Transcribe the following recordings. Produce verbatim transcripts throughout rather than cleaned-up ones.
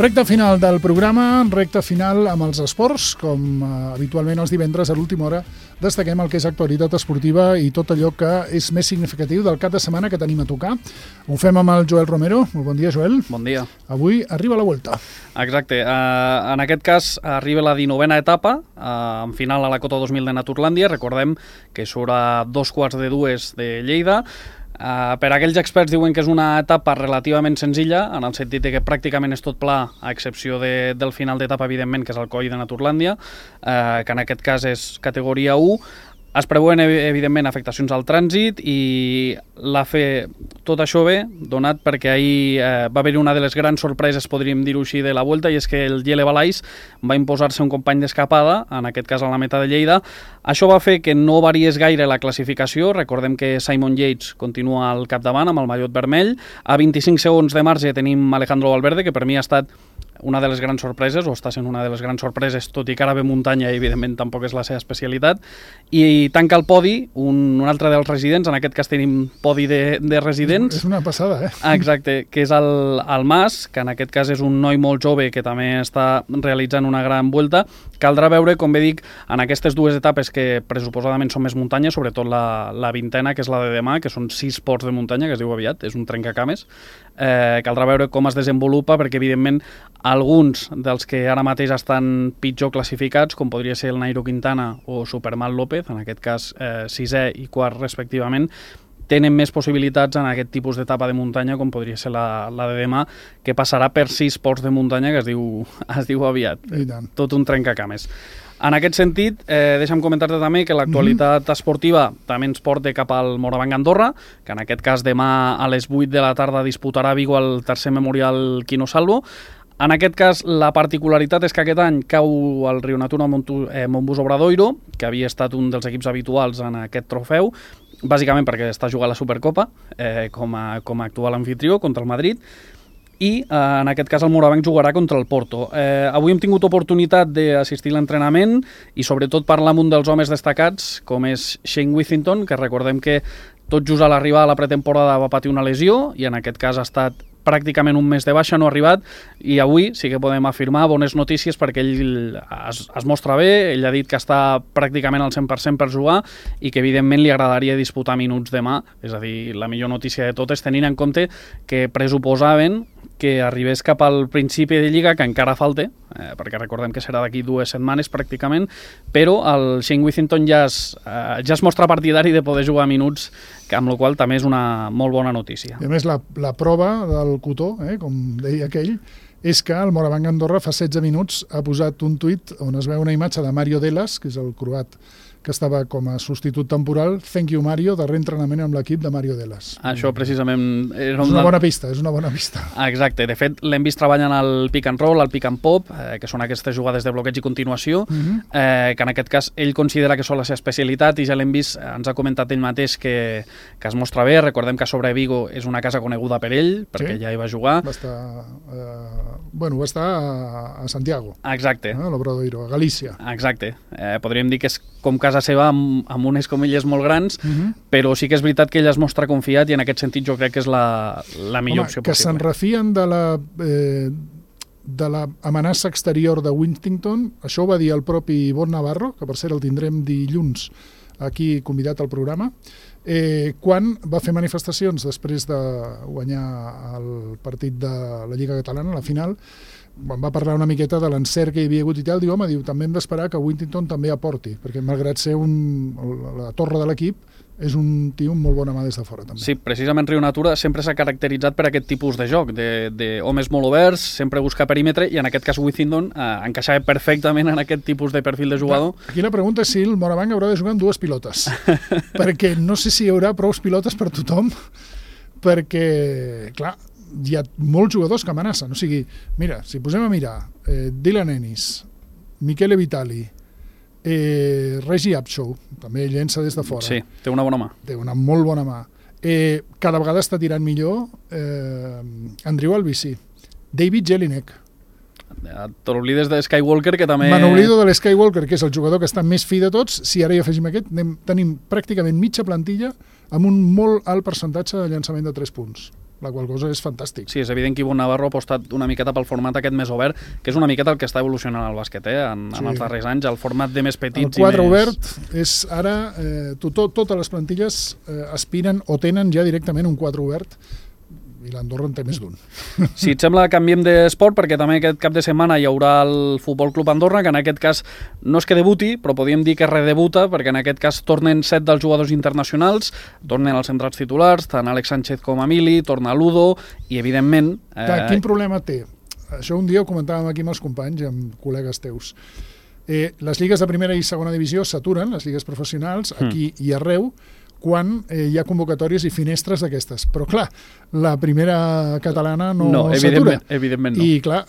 Recte final del programa, recte final amb els esports, com eh, habitualment els divendres a l'última hora destaquem el que és actualitat esportiva i tot allò que és més significatiu del cap de setmana que tenim a tocar. Ho fem amb el Joel Romero. Molt bon dia, Joel. Bon dia. Avui arriba la Vuelta. Exacte. Uh, en aquest cas arriba la dinovena etapa, uh, en final a la Cota dos mil de Naturlàndia. Recordem que surt a dos quarts de dues de Lleida. Uh, per aquells experts diuen que és una etapa relativament senzilla, en el sentit de que pràcticament és tot pla, a excepció de, del final d'etapa, evidentment, que és el coll de Naturlàndia, uh, que en aquest cas és categoria u. Es preveuen, evidentment, afectacions al trànsit i la fe... tot això bé, donat perquè ahir eh, va haver una de les grans sorpreses, podríem dir-ho així, de la Vuelta, i és que el Jelle Valais va imposar-se un company d'escapada, en aquest cas a la meta de Lleida. Això va fer que no variés gaire la classificació. Recordem que Simon Yates continua al capdavant amb el mallot vermell. A vint-i-cinc segons de marge tenim Alejandro Valverde, que per mi ha estat una de les grans sorpreses, o està sent una de les grans sorpreses, tot i que ara ve muntanya i evidentment tampoc és la seva especialitat, i tanca el podi un, un altre dels residents, en aquest cas tenim podi de, de residents. És una passada, eh? Exacte, que és el, el Mas, que en aquest cas és un noi molt jove que també està realitzant una gran Vuelta. Caldrà veure, com bé dic, en aquestes dues etapes que pressuposadament són més muntanya, sobretot la, la vintena, que és la de demà, que són sis ports de muntanya, que es diu aviat, és un trencacames. Eh, caldrà veure com es desenvolupa, perquè evidentment alguns dels que ara mateix estan pitjor classificats, com podria ser el Nairo Quintana o Superman López, en aquest cas eh, sisè i quart respectivament, tenen més possibilitats en aquest tipus d'etapa de muntanya, com podria ser la, la de demà, que passarà per sis ports de muntanya, que es diu, es diu aviat. Tot un trencacames. En aquest sentit, eh, deixa'm comentar-te també que l'actualitat mm-hmm. esportiva també ens porta cap al Morabanc Andorra, que en aquest cas demà a les vuit de la tarda disputarà a Vigo el tercer memorial Quino Salvo. En aquest cas, la particularitat és que aquest any cau el Rio Natura eh, Montbus Obradoiro, que havia estat un dels equips habituals en aquest trofeu, bàsicament perquè està jugant la Supercopa eh, com, a, com a actual anfitrió contra el Madrid, i eh, en aquest cas el Morabanc jugarà contra el Porto. Eh, avui hem tingut oportunitat d'assistir a l'entrenament i sobretot parlar amb un dels homes destacats, com és Shane Withington, que recordem que tot just a l'arribar a la pretemporada va patir una lesió i en aquest cas ha estat pràcticament un mes de baixa, no ha arribat, i avui sí que podem afirmar bones notícies perquè ell es, es mostra bé. Ell ha dit que està pràcticament al cent per cent per jugar i que evidentment li agradaria disputar minuts demà. És a dir, la millor notícia de totes, tenint en compte que pressuposaven que arribés cap al principi de Lliga, que encara falta, eh, perquè recordem que serà d'aquí dues setmanes pràcticament, però el Shane Withington ja es, eh, ja es mostra partidari de poder jugar minuts, que amb la qual també és una molt bona notícia. I a més, la, la prova del cotó, eh, com deia aquell, és que el Morabanc Andorra fa setze minuts ha posat un tuit on es veu una imatge de Mario Delas, que és el croat que estava com a substitut temporal. Thank you, Mario, de reentrenament amb l'equip de Mario Delas. Això precisament... És una bona pista, és una bona pista. Exacte, de fet l'hem vist treballant al pick and roll, al pick and pop, eh, que són aquestes jugades de bloqueig i continuació, uh-huh. eh, que en aquest cas ell considera que són la seva especialitat i ja l'hem vist, ens ha comentat ell mateix que, que es mostra bé. Recordem que sobre Vigo és una casa coneguda per ell, perquè sí, ja hi va jugar. Va estar, eh, bueno, va estar a, a Santiago. Exacte. Eh, a l'Obradoiro, a Galícia. Exacte. Eh, podríem dir que és com casa seva amb, amb unes comilles molt grans, uh-huh. però sí que és veritat que ell es mostra confiat i en aquest sentit jo crec que és la, la millor Home, opció que possible. Que se'n refien de la, eh, de la amenaça exterior de Withington, això ho va dir el propi Ivonne Navarro, que per cert el tindrem dilluns aquí convidat al programa, eh, quan va fer manifestacions després de guanyar el partit de la Lliga Catalana, la final, quan va parlar una miqueta de l'encert que hi havia hagut i tal, diu, home, diu, també hem d'esperar que Withington també aporti, perquè malgrat ser un, la torre de l'equip, és un tio amb molt bona mà des de fora, també. Sí, precisament Rio Natura sempre s'ha caracteritzat per aquest tipus de joc, de, de homes molt oberts, sempre buscar perímetre, i en aquest cas Withington eh, encaixava perfectament en aquest tipus de perfil de jugador. Aquí la pregunta és si el Morabanc haurà de jugar amb dues pilotes, perquè no sé si hi haurà prou pilotes per tothom, perquè, clar, hi ha molts jugadors que amenacen. O sigui, mira, si posem a mirar eh, Dylan Ennis, Michele Vitali, eh, Regi Abshow, també llença des de fora. Sí, té una bona mà. Té una molt bona mà. Eh, cada vegada està tirant millor eh, Andrew Albisi, David Jelinek. T'oblides de Skywalker, que també... Me n'oblido de l'Skywalker, que és el jugador que està més fi de tots. Si ara hi afegim aquest, anem, tenim pràcticament mitja plantilla amb un molt alt percentatge de llançament de tres punts. la qual cosa és fantàstic. Sí, és evident que Ivonne Navarro ha apostat una miqueta pel format aquest més obert, que és una miqueta el que està evolucionant el bàsquet, eh? en, sí. en els darrers anys, el format de més petits el quatre i més... obert és ara, eh, to, to, totes les plantilles eh, aspiren o tenen ja directament un quatre obert, i l'Andorra en té més d'un. Si et sembla, canviem d'esport, perquè també aquest cap de setmana hi haurà el Futbol Club Andorra, que en aquest cas no és que debuti, però podríem dir que redebuta, perquè en aquest cas tornen set dels jugadors internacionals, tornen els centrals titulars, tant Àlex Sánchez com Emili, torna Ludo, i evidentment... Eh... Clar, quin problema té? Això un dia ho comentàvem aquí amb els companys, amb col·legues teus. Eh, les lligues de primera i segona divisió s'aturen, les lligues professionals, aquí mm. i arreu, quan eh, hi ha convocatòries i finestres d'aquestes. Però, clar, la primera catalana no, no s'atura. Evidentment no. I, clar,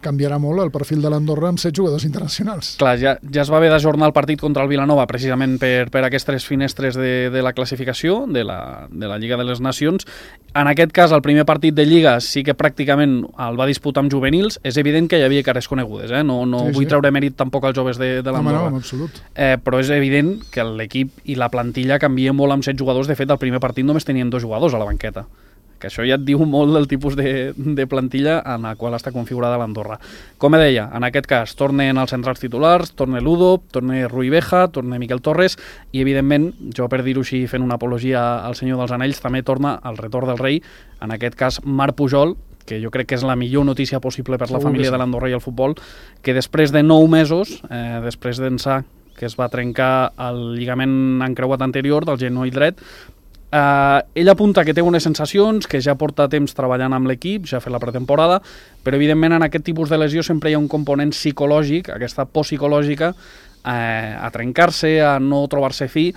canviarà molt el perfil de l'Andorra amb set jugadors internacionals. Clar, ja, ja es va haver d'ajornar el partit contra el Vilanova precisament per, per aquestes finestres de, de la classificació, de la, de la Lliga de les Nacions. En aquest cas, el primer partit de Lliga sí que pràcticament el va disputar amb juvenils. És evident que hi havia cares conegudes, eh? No, no sí, vull sí. treure mèrit tampoc als joves de, de l'Andorra. No, no, en absolut. Eh, però és evident que l'equip i la plantilla canvia molt amb set jugadors. De fet, al primer partit només tenien dos jugadors a la banqueta, que això ja et diu molt del tipus de, de plantilla en la qual està configurada l'Andorra. Com deia, en aquest cas tornen els centrals titulars, torna Ludo, torna Rui Beja, torna Miquel Torres i, evidentment, jo per dir-ho així, fent una apologia al Senyor dels Anells, també torna el retorn del rei, en aquest cas Marc Pujol, que jo crec que és la millor notícia possible per la família de l'Andorra i el futbol, que després de nou mesos, eh, després d'ençà que es va trencar el lligament encreuat anterior del genoll dret, eh, ell apunta que té unes sensacions, que ja porta temps treballant amb l'equip, ja ha fet la pretemporada, però evidentment en aquest tipus de lesió sempre hi ha un component psicològic, aquesta por psicològica, eh, a trencar-se, a no trobar-se fi.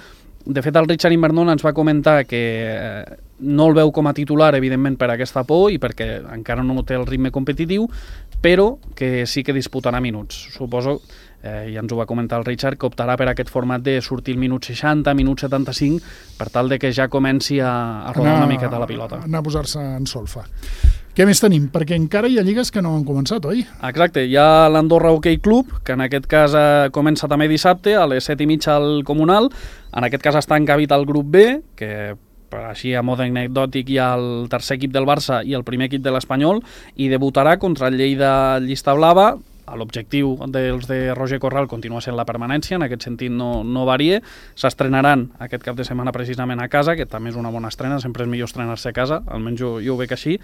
De fet, el Richard Invernon ens va comentar que eh, no el veu com a titular, evidentment, per aquesta por i perquè encara no té el ritme competitiu, però que sí que disputarà minuts. Suposo, eh, ja ens ho va comentar el Richard, que optarà per aquest format de sortir el minut seixanta, minut setanta-cinc, per tal de que ja comenci a, a rodar anar, una miqueta la pilota. Anar a posar-se en solfa. Què més tenim? Perquè encara hi ha lligues que no han començat, oi? Exacte, hi ha l'Andorra Hockey Club, que en aquest cas eh, comença també dissabte, a les set i mitja al Comunal. En aquest cas està encabit el grup B, que per així a mode anecdòtic hi ha el tercer equip del Barça i el primer equip de l'Espanyol, i debutarà contra el Lleida Llista Blava. L'objectiu dels de Roger Corral continua sent la permanència, en aquest sentit no, no varia. S'estrenaran aquest cap de setmana precisament a casa, que també és una bona estrena, sempre és millor estrenar-se a casa, almenys jo, jo ho veig així.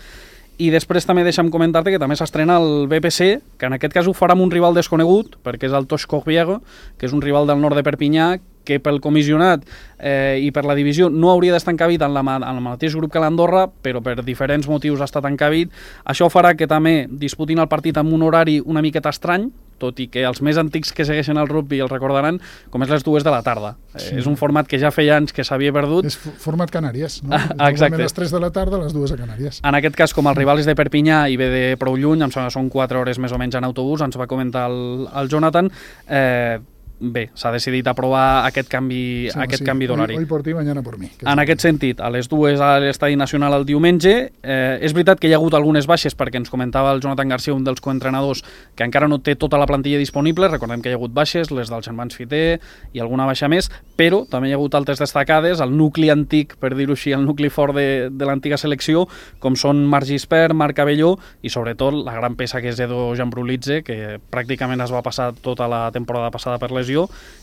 I després també deixa'm comentar-te que també s'estrena el B P C, que en aquest cas ho farà amb un rival desconegut, perquè és el Toix Corbiego, que és un rival del nord de Perpinyà, que pel comissionat eh, i per la divisió no hauria d'estar encabit en, la, en el mateix grup que l'Andorra, però per diferents motius ha estat encabit. Això farà que també disputin el partit amb un horari una miqueta estrany, tot i que els més antics que segueixen el rugby el recordaran, com és les dues de la tarda. Sí. Eh, és un format que ja feia anys que s'havia perdut. És format Canàries, no? Ah, exacte. A les tres de la tarda, les dues a Canàries. En aquest cas, com el rival és de Perpinyà i ve de prou lluny, em sembla que són quatre hores més o menys en autobús, ens va comentar el, el Jonathan, eh, bé, s'ha decidit aprovar aquest canvi, sí, aquest sí. canvi d'horari. Hoy por ti, mañana por mi. En aquest sentit, a les dues a l'Estadi Nacional el diumenge, eh, és veritat que hi ha hagut algunes baixes, perquè ens comentava el Jonathan Garcia, un dels coentrenadors, que encara no té tota la plantilla disponible. Recordem que hi ha hagut baixes, les dels germans Fiter i alguna baixa més, però també hi ha hagut altres destacades, el nucli antic, per dir-ho així, el nucli fort de, de l'antiga selecció, com són Marc Gispert, Marc Cabelló i sobretot la gran peça que és Edo Jambrulidze, que pràcticament es va passar tota la temporada passada per lesió.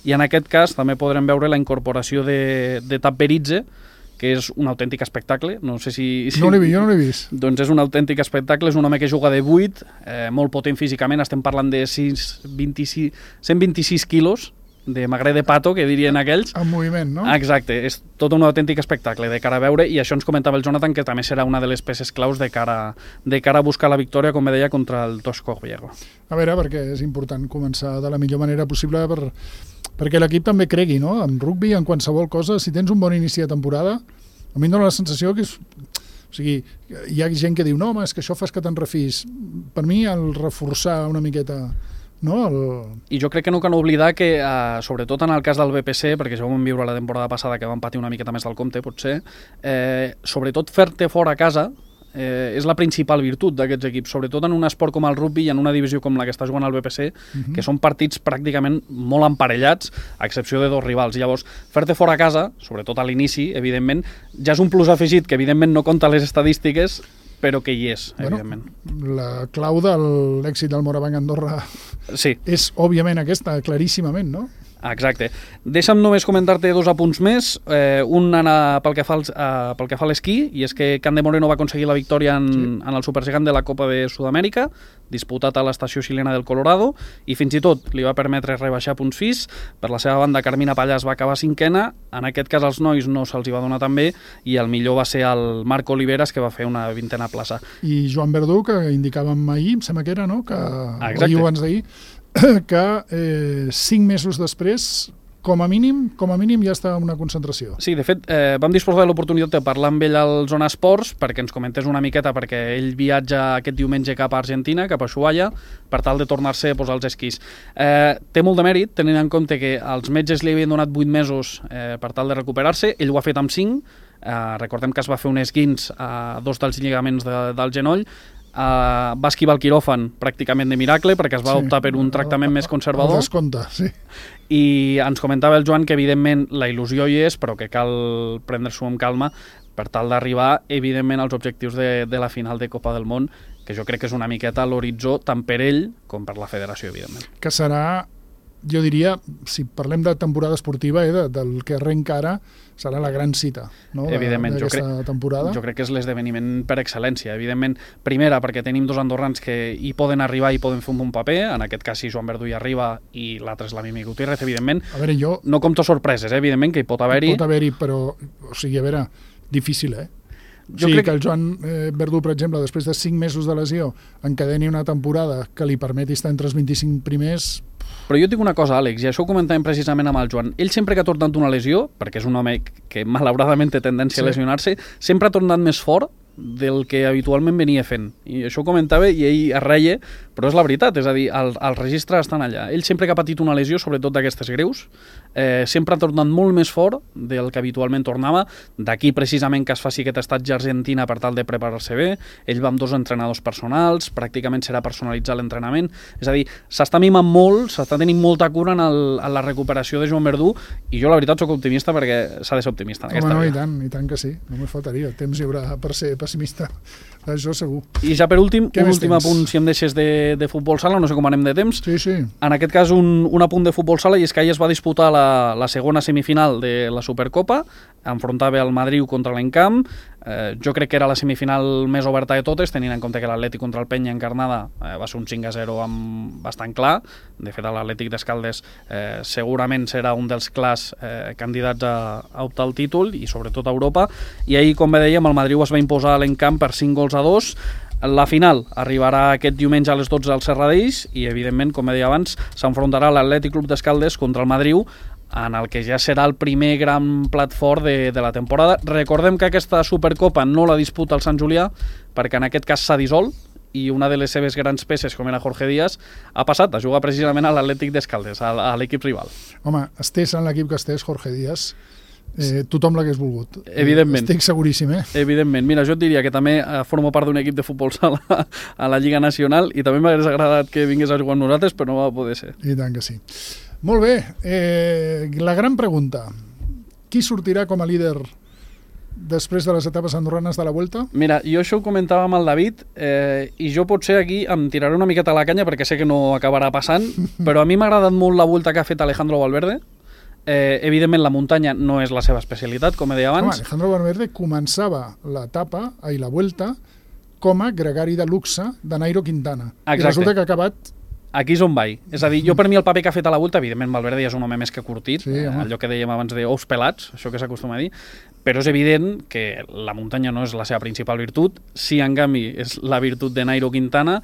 I en aquest cas també podrem veure la incorporació de, de Tap Beridze, que és un autèntic espectacle. No sé si... si no l'he vist, jo no l'he vist. Doncs és un autèntic espectacle, és un home que juga de vuit, eh, molt potent físicament, estem parlant de sis, vint-i-sis, cent vint-i-sis quilos, de magre de pato, que dirien aquells. En moviment, no? Exacte, és tot un autèntic espectacle de cara a veure, i això ens comentava el Jonathan, que també serà una de les peces claus de cara, de cara a buscar la victòria, com deia, contra el Toix Corbiego. A veure, perquè és important començar de la millor manera possible per, perquè l'equip també cregui, no? En rugby, en qualsevol cosa, si tens un bon inici de temporada, a mi em dóna la sensació que és... O sigui, hi ha gent que diu, no, home, és que això fas que te'n refis. Per mi, el reforçar una miqueta... No, el... I jo crec que no cal oblidar que, eh, sobretot en el cas del B P C, perquè ja ho vam viure la temporada passada, que van patir una miqueta més del compte, potser, eh, sobretot fer-te fora a casa eh, és la principal virtut d'aquests equips, sobretot en un esport com el rugby i en una divisió com la que està jugant el B P C, uh-huh. que són partits pràcticament molt emparellats, a excepció de dos rivals. Llavors, fer-te fora a casa, sobretot a l'inici, evidentment, ja és un plus afegit que evidentment no compta les estadístiques, però que hi és, bueno, evidentment. La clau de l'èxit del Morabanc Andorra sí. és, òbviament, aquesta, claríssimament, no? Exacte. Deixa'm només comentar-te dos apunts més. Eh, un anar pel que fa, als, uh, pel que fa a l'esquí, i és que Can de Moreno va aconseguir la victòria en, sí. en el Supergegant de la Copa de Sud-amèrica, disputat a l'estació xilena del Colorado, i fins i tot li va permetre rebaixar punts fis. Per la seva banda, Carmina Pallàs va acabar cinquena. En aquest cas, als nois no se'ls hi va donar tan bé, i el millor va ser el Marc Oliveras, que va fer una vintena plaça. I Joan Verdú, que indicàvem ahir, em sembla que era, no? Que Exacte. ahir o abans d'ahir, que eh, cinc mesos després, com a mínim, com a mínim ja està una concentració. Sí, de fet, eh, vam disposar de l'oportunitat de parlar amb ell al Zona Esports perquè ens comentés una miqueta, perquè ell viatja aquest diumenge cap a Argentina, cap a Ushuaia, per tal de tornar-se a posar els esquís. Eh, té molt de mèrit, tenint en compte que els metges li havien donat vuit mesos eh, per tal de recuperar-se, ell ho ha fet amb cinc, eh, recordem que es va fer un esguins a dos dels lligaments de, del genoll. Uh, va esquivar el quiròfan pràcticament de miracle perquè es va sí, optar per un tractament el, més conservador. El descompte, sí. I ens comentava el Joan que evidentment la il·lusió hi és, però que cal prendre-s'ho amb calma per tal d'arribar evidentment als objectius de, de la final de Copa del Món, que jo crec que és una miqueta l'horitzó tant per ell com per la federació, evidentment. Que serà, jo diria, si parlem de temporada esportiva, eh, de, del que arrenca ara, serà la gran cita, no? Evidentment, jo crec, temporada. jo crec que és l'esdeveniment per excel·lència. Evidentment, primera, perquè tenim dos andorrans que hi poden arribar i poden fer un bon paper, en aquest cas si Joan Verdú hi arriba i l'altre és la Mimi Gutiérrez, evidentment. A veure, jo... No compto sorpreses, eh? Evidentment, que hi pot haver-hi. Pot haver-hi, però, o sigui, a veure, difícil, eh? Jo sí, crec que el Joan eh, Verdú, per exemple, després de cinc mesos de lesió, encadeni una temporada que li permeti estar entre els vint-i-cinc primers... Però jo et dic una cosa, Àlex, i això ho comentàvem precisament amb el Joan. Ell sempre que ha tornat d'una lesió, perquè és un home que malauradament té tendència sí. a lesionar-se, sempre ha tornat més fort del que habitualment venia fent. I això ho comentava i ell es reia, però és la veritat, és a dir, el, els registres estan allà. Ell sempre que ha patit una lesió, sobretot d'aquestes greus, eh, sempre ha tornat molt més fort del que habitualment tornava, d'aquí precisament que es faci aquest estatge a Argentina per tal de preparar-se bé. Ell va amb dos entrenadors personals, pràcticament serà personalitzar l'entrenament, és a dir, s'està mimant molt, s'està tenint molta cura en, el, en la recuperació de Joan Verdú, i jo la veritat soc optimista perquè s'ha de ser optimista en aquesta Home, no, vida. i tant, i tant que sí, només faltaria, temps hi haurà per ser pessimista, això segur. I ja per últim, Què un més últim tens? apunt, si em deixes de, de futbol sala, no sé com anem de temps. Sí, sí. En aquest cas, un, un apunt de futbol sala, i és que ahir es va disputar la, la segona semifinal de la Supercopa, enfrontava el Madrid contra l'Encamp. Eh, jo crec que era la semifinal més oberta de totes, tenint en compte que l'Atlètic contra el Penya encarnada eh, va ser un cinc a zero amb bastant clar. De fet, l'Atlètic d'Escaldes eh, segurament serà un dels clars eh, candidats a, a optar al títol i sobretot a Europa. I ahir, com bé dèiem, el Madrid es va imposar a l'Encamp per cinc gols a dos. La final arribarà aquest diumenge a les dotze al Serradeix i, evidentment, com deia abans, s'enfrontarà l'Atlètic Club d'Escaldes contra el Madrid, en el que ja serà el primer gran plat fort de, de la temporada. Recordem que aquesta Supercopa no la disputa el Sant Julià, perquè en aquest cas s'ha dissolt, i una de les seves grans peces, com era Jorge Díaz, ha passat a jugar precisament a l'Atlètic d'Escaldes, a, a l'equip rival. Home, estés en l'equip que estés, Jorge Díaz, Eh, tothom l'hagués volgut. Evidentment. Estic seguríssim, eh? Evidentment. Mira, jo et diria que també eh, formo part d'un equip de futbol sala a la Lliga Nacional i també m'hagués agradat que vingués a jugar amb nosaltres, però no va poder ser. I tant que sí. Molt bé. Eh, la gran pregunta. Qui sortirà com a líder després de les etapes andorranes de la Vuelta? Mira, jo això ho comentava amb el David eh, i jo potser aquí em tiraré una miqueta a la canya perquè sé que no acabarà passant, però a mi m'ha agradat molt la Vuelta que ha fet Alejandro Valverde. Eh, evidentment la muntanya no és la seva especialitat, com he dit abans. Home, Alejandro Valverde començava l'etapa i la Vuelta com a gregari de luxe de Nairo Quintana. Exacte. I resulta que ha acabat... Aquí és on vaig. És a dir, jo per mi el paper que ha fet a la Vuelta, evidentment Valverde ja és un home més que curtit, sí, eh, allò que dèiem abans de ous pelats, això que s'acostuma a dir, però és evident que la muntanya no és la seva principal virtut, sí, en canvi, és la virtut de Nairo Quintana,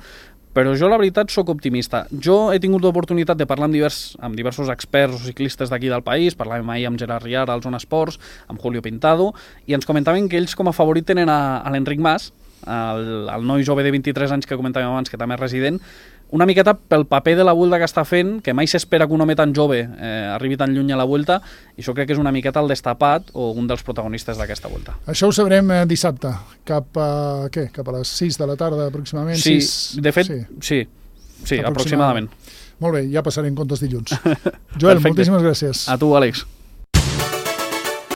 però jo la veritat sóc optimista. Jo he tingut l'oportunitat de parlar amb, divers, amb diversos experts o ciclistes d'aquí del país, parlàvem ahir amb Gerard Riara al Zona Esports, amb Julio Pintado, i ens comentaven que ells com a favorit tenen a, a l'Enric Mas, el, el noi jove de vint-i-tres anys que comentàvem abans, que també és resident, una miqueta pel paper de la Vuelta que està fent, que mai s'espera que un home tan jove eh, arribi tan lluny a la Vuelta, i això crec que és una miqueta el destapat o un dels protagonistes d'aquesta Vuelta. Això ho sabrem eh, dissabte, cap a, què? Cap a les sis de la tarda aproximadament. Sí, sis... de fet, sí, sí, sí aproximadament. Molt bé, ja passarem comptes dilluns. Joel, moltíssimes gràcies. A tu, Àlex.